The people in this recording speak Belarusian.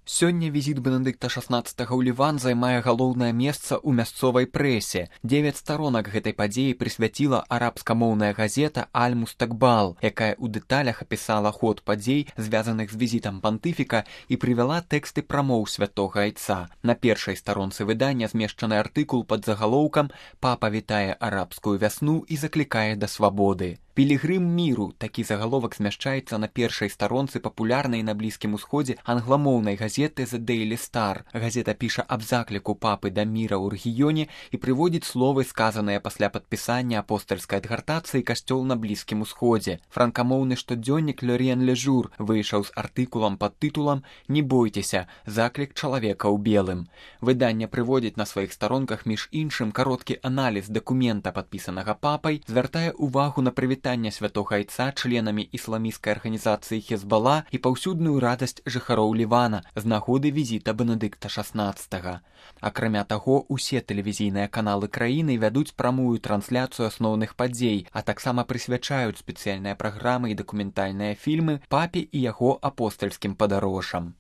Сёння візіт Бенедыкта XVI ў Ліван займае галоўнае месца ў мясцовай прэсе. 9 старонак гэтай падзеі прысвяціла арабскамоўная газета «Аль-Мустакбал», якая ў дэталях апісала ход падзей, звязаных з візітам пантыфіка, і прывяла тэксты прамоў святога айца. На першай старонцы выдання змешчаны артыкул пад загалоўкам «Папа вітае арабскую вясну і заклікае да свабоды». «Пілігрым міру» – такі загаловак змяшчаецца на першай старонцы папулярнай на Блізкім Усходзе англамоўнай газеты «The Daily Star». Газета піша аб закліку папы да міра ў рэгіёне і прыводзіць словы, сказаныя пасля падпісання апостальскай адгартацыі касцёл на Блізкім Усходзе. Франкамоўны штодзённік «L'Orient Le Jour» выйшаў з артыкулам пад тытулам «Не бойцеся, заклік чалавека ў белым». Выданне прыводзіць на сваіх старонках між іншым кароткі аналіз дакумента, падпісанага папай, звяртае ўвагу на прывітанне святога айца членамі ісламісцкай арганізацыі Хезбала і паўсюдную радасць жыхароў Лівана з нагоды візіта Бенедыкта XVI. Акрамя таго, усе тэлевізійныя каналы краіны вядуць прамую трансляцыю асноўных падзей, а таксама прысвячаюць спецыяльныя праграмы і дакументальныя фільмы папе і яго апостальскім падарожжам.